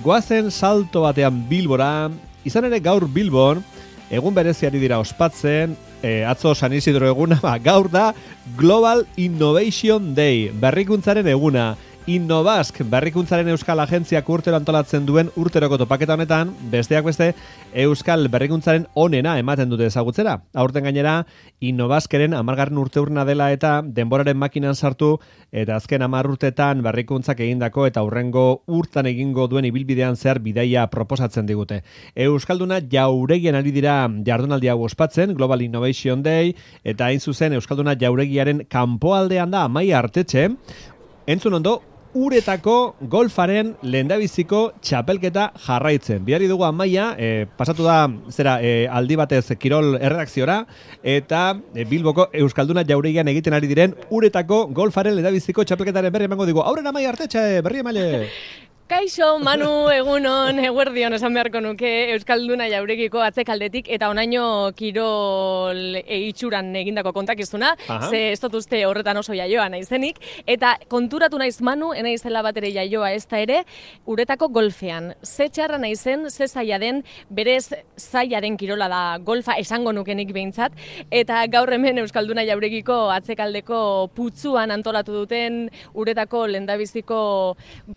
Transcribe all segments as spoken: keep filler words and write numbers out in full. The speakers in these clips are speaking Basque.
goazen salto batean Bilbora, izan ere gaur Bilbon, egun bereziari dira ospatzen, e, atzo San Isidro eguna, ba, gaur da Global Innovation Day, berrikuntzaren eguna. Innovask, berrikuntzaren Euskal Agentziak urtero antolatzen duen urteroko topaketa honetan, besteak beste, Euskal berrikuntzaren onena ematen dute ezagutzera. Aurten gainera, Innovaskeren amargarren urte urna dela eta denboraren makinan sartu, eta azken hamar urtetan berrikuntzak egindako eta hurrengo urtan egingo duen ibilbidean zehar bidaia proposatzen digute. Euskalduna jauregian ari dira jardunaldi hau ospatzen, Global Innovation Day, eta hain zuzen Euskalduna jauregiaren kanpoaldean da Amaia Artetxe, entzun ondo, Uretako golfaren lehendabiziko txapelketa jarraitzen. Bihari dugu Amaia, e, pasatu da zera e, aldi batez Kirol erredakziora, eta e, Bilboko Euskalduna jauregian egiten ari diren Uretako golfaren lehendabiziko txapelketaren berri emango digu. Aurren Amaia Artetxe, berri emaile! Kaixo, Manu, egunon, eguerdion esan beharko nuke Euskalduna jauregiko atzekaldetik eta onaino Kirol itxuran egindako kontakizuna, Aha. ze ez dut uste horretan oso jaioa naizenik, eta konturatu naiz Manu, enaizela bat ere jaioa ez da ere, Uretako golfean. Ze txarra naizen, ze zaila den, berez zaila den kirola da golfa, esango nukenik behintzat, eta gaur hemen Euskalduna jauregiko atzekaldeko putzuan antolatu duten Uretako lehendabiziko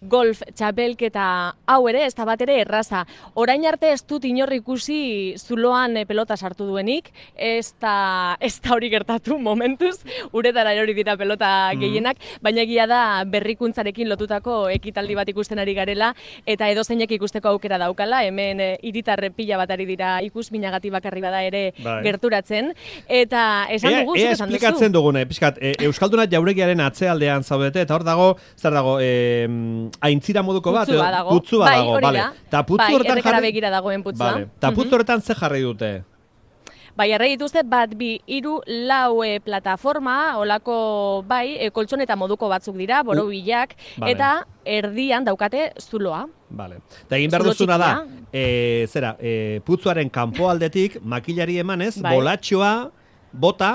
golf txapel pelketa hau ere, ez da bat ere erraza. Orain arte ez dut inor ikusi zuloan pelota sartu duenik, ez da, ez da hori gertatu momentuz, uretara hori dira pelota gehienak, mm. baina egia da berrikuntzarekin lotutako ekitaldi bat ikusten ari garela, eta edozeinek ikusteko aukera daukala, hemen e, hiritar pila bat ari dira ikus minagati bakarri bada ere bai. gerturatzen, eta esan dugu, ea, ea esplikatzen dugune, pixkat, e, Euskalduna jauregiaren atzealdean zaudete, eta hor dago, zer dago, e, aintzira moduko Putzu bat dago. Putzu bat dago, bai, bale. Ta putzu bai, horretan jarri... begira dagoen putzua. Vale. Ta putzu horretan ze jarri dute? Bai, jarri dituzte bat bi hiru lau e, plataforma, olako bai, e, koltsoneta moduko batzuk dira, borobilak, uh, vale. eta erdian daukate zuloa. Vale. Ta egin behar duzuna da, e, zera, e, putzuaren kanpoaldetik makilari emanez, bai. bolatxoa, bota,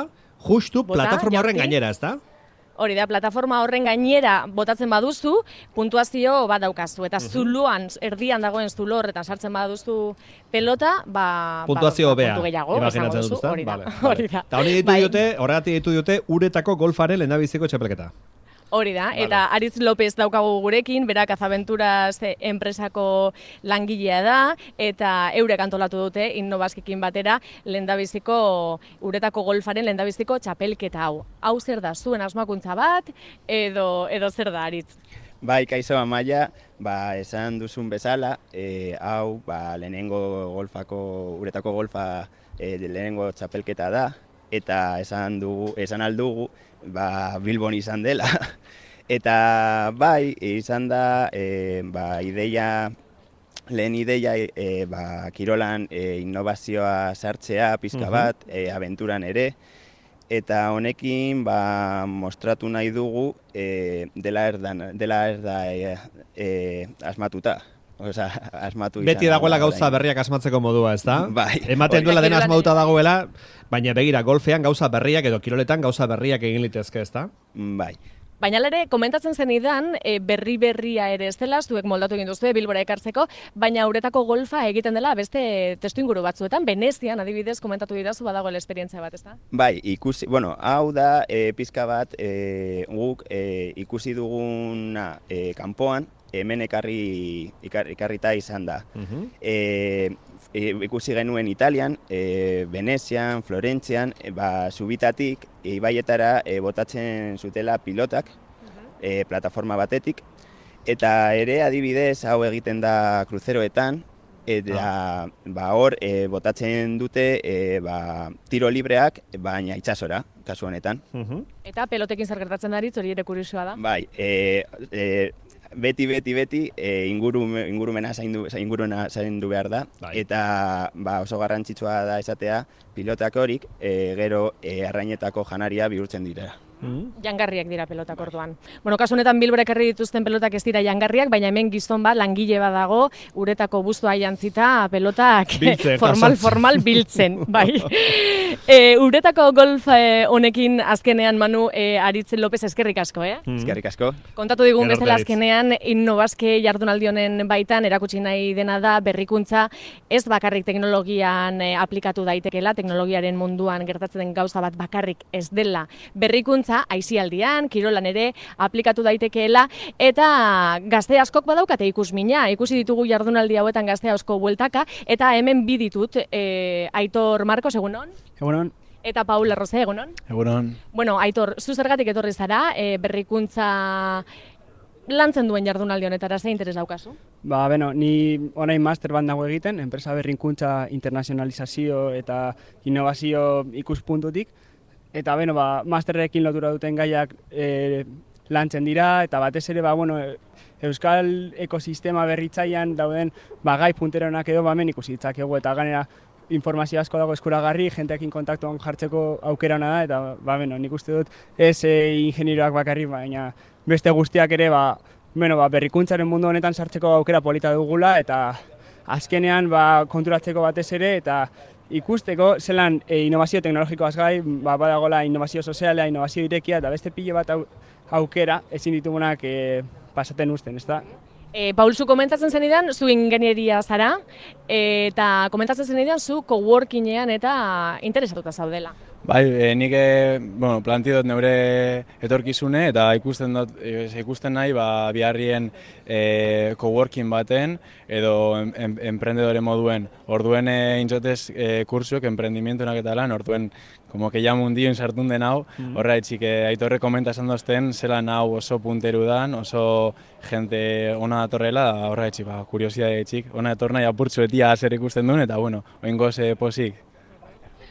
justu bota, plataforma horren gainera, ez da? Hori da, plataforma horren gainera botatzen baduzu, puntuazio bat daukazu. Eta zuloan, erdian dagoen zulo horretan sartzen baduzu pelota, ba... puntuazio ba, bea, imaginatzen dut, hori da. Vale, vale. Eta hori ditu bai. dute, horregatik ditu dute, Uretako golfaren lehendabiziko txapelketa. Hori da, vale. Eta Aritz López daukagu gurekin, berak Azaventuras enpresako langilea da, eta eurek antolatu dute Innovaskikin batera lehendabiziko Uretako golfaren lehendabiziko txapelketa hau. Hau zer da, zuen asmakuntza bat, edo, edo zer da, Aritz? Bai, kaixo Amaia, ba, esan duzun bezala, e, hau ba, lehenengo golfako, Uretako golfa e, lehenengo txapelketa da, eta esan dugu, esan aldugu, ba, Bilbon izan dela. Eta bai, izan da, e, ba, ideia, lehen ideia, e, ba, kirolan e, innovazioa sartzea pizka bat, e, abenturan ere, eta honekin ba, mostratu nahi dugu e, dela erdan, dela erda e, e, asmatuta. Osa, asmatu izan. Beti dagoela gauza berriak asmatzeko modua, ez da? Bai. Ematen duela dena asmatuta dagoela, baina begira, golfean gauza berriak edo kiroletan gauza berriak egin litezke, ez da? Bai. Baina ere, komentatzen zenidan, e, berri berria ere ez dela, zuek moldatu egin duzue Bilbora ekartzeko, baina Uretako golfa egiten dela beste testuinguru batzuetan, Venezian adibidez komentatu didazu badagoela esperientzia bat, ez da? Bai, ikusi, bueno, hau da e, pizka bat e, guk e, ikusi duguna e, kanpoan, hemen ekarri, ikar, ikarrita izan da. Uh-huh. e, e, ikusi genuen Italian, e, Venezian, Florentzian, e, ba, subitatik, ibaietara e, botatzen zutela pilotak, uh-huh. e, plataforma batetik, eta ere adibidez hau egiten da kruzeroetan, eta ah. ba, hor e, botatzen dute e, ba, tiro libreak, baina itsasora, kasu honetan. Uh-huh. Eta pelotekin zer gertatzen daritz, hori ere kuriosoa da? Bai, e, e, beti, beti, beti e, inguru, ingurumena zaindu, ingurumena zaindu behar da, bai. Eta ba, oso garrantzitsua da esatea pilotak horik e, gero e, arrainetako janaria bihurtzen dira. Mm. Jangarriak dira pelotak orduan. Bueno, kasu honetan Bilbora ekarri dituzten pelotak ez dira jangarriak, baina hemen gizon bat langile bat dago, uretako buztua jantzita pelotak biltzen, formal formal biltzen, bai. E, uretako golf e, honekin azkenean Manu e, Aritz López eskerrik asko, eh? Mm. Eskerrik asko. Kontatu digun bezala azkenean Innobazke jardunaldi honen baitan erakutsi nahi dena da berrikuntza ez bakarrik teknologian e, aplikatu daitekela, teknologiaren munduan gertatzen den gauza bat bakarrik ez dela berrikuntza aisialdian, kirolan ere aplikatu daitekeela, eta gazte askok badaukate ikusmina, ikusi ditugu jardunaldi hauetan gazte asko bueltaka, eta hemen bi ditut, e, Aitor Marcos, egunon? Egunon. Eta Paul Arroze, egunon? Egunon. Bueno, Aitor, zu zergatik etorri zara, e, berrikuntza lantzen duen jardunaldi honetara, ze interes daukazu? Ba, beno, ni orain master bat nago egiten, enpresa berrikuntza internazionalizazio eta innovazio ikuspuntutik, eta beno, ba, masterrekin lotura duten gaiak e, lantzen dira, eta batez ere, ba, bueno, euskal ekosistema berritzaian dauden ba, gai punteronak edo bamen ikusi ditzakegu, eta ganera informazio asko dago eskuragarri, jenteekin kontaktuan jartzeko aukera ona da, eta ba, beno, nik uste dut ez e, ingenieroak bakarri, baina beste guztiak ere ba, bueno, ba, berrikuntzaren mundu honetan sartzeko aukera polita dugula, eta azkenean ba, konturatzeko batez ere, eta ikusteko zelan e, innovazio teknologikoaz gai, ba, badagola innovazio soziala, innovazio irekia, eta beste pile bat au, aukera ezin ditugunak e, pasaten usten, ez da? E, Paul, zu komentatzen zenidan, zu ingenieria zara, e, eta komentatzen zenidan zu coworkingean eta interesatuta zaudela. Bai, e, nik e, bueno, planti dut neure etorkizune eta ikusten dut e, ikusten nahi ba biharrien e, coworking baten edo em, em, emprendedore moduen. Orduen e, intzotez e, kursuek emprendimientunak eta lan, orduen como que ja mundioen sartun den hau, mm. horraitzik e, Aitorre komenta esan dozten, zelan hau oso punteru dan, oso jente ona datorrela, horraitzik, ba, kuriosidade txik, ona dator nahi apurtzu etia zer ikusten duen, eta bueno, oingoz e, posik.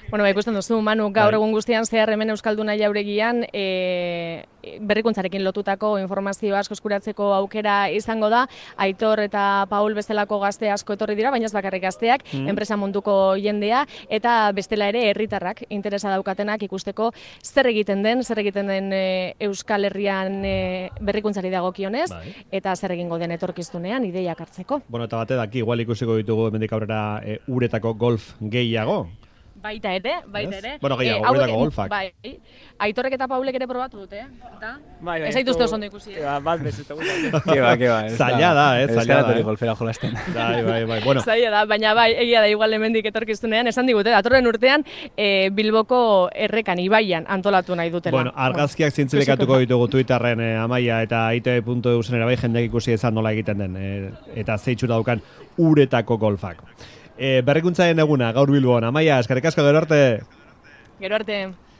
Bueno, ba, ikusten duzu, Manu, gaur egun guztian zehar hemen Euskalduna Jauregian e, berrikuntzarekin lotutako informazio asko eskuratzeko aukera izango da. Aitor eta Paul bestelako gazte asko etorri dira, baina ez bakarrik gazteak, mm. enpresa munduko jendea, eta bestela ere herritarrak interesa daukatenak ikusteko zer egiten den, zer egiten den e, Euskal Herrian e, berrikuntzari dagokionez, bai. Eta zer egingo den etorkizunean ideiak hartzeko. Bueno, eta bate daki, igual ikusiko ditugu hemendik aurrera e, uretako golf gehiago. Baita ere, baita ere. Bueno, gehiago, e, uretako golfak. Bai, Aitorrek eta Paulek ere probatu dute, eh? Eta? Bai, bai. Ez zaituzte oso ondo ikusi, eh? Bat bez, eta guzti. Keba, keba. Zaila da, eh? Zaila da, eh? golfera jolasten. Bai, bai, bai. Bueno. Zaila da, baina bai, egia da igual hemendik etorkizunean, esan digute, datorren urtean e, Bilboko errekan, Ibaian antolatu nahi dutela. Bueno, argazkiak zintzilikatuko ditugu Twitterren eh, Amaia eta I T V puntu E U zenera bai jendeak ikusi ezan nola egiten den, eh, eta zeitxura daukan uretako golfak. E, berrikuntzaren eguna, gaur Bilbon. Amaia, eskerrik asko, gero arte. Gero arte.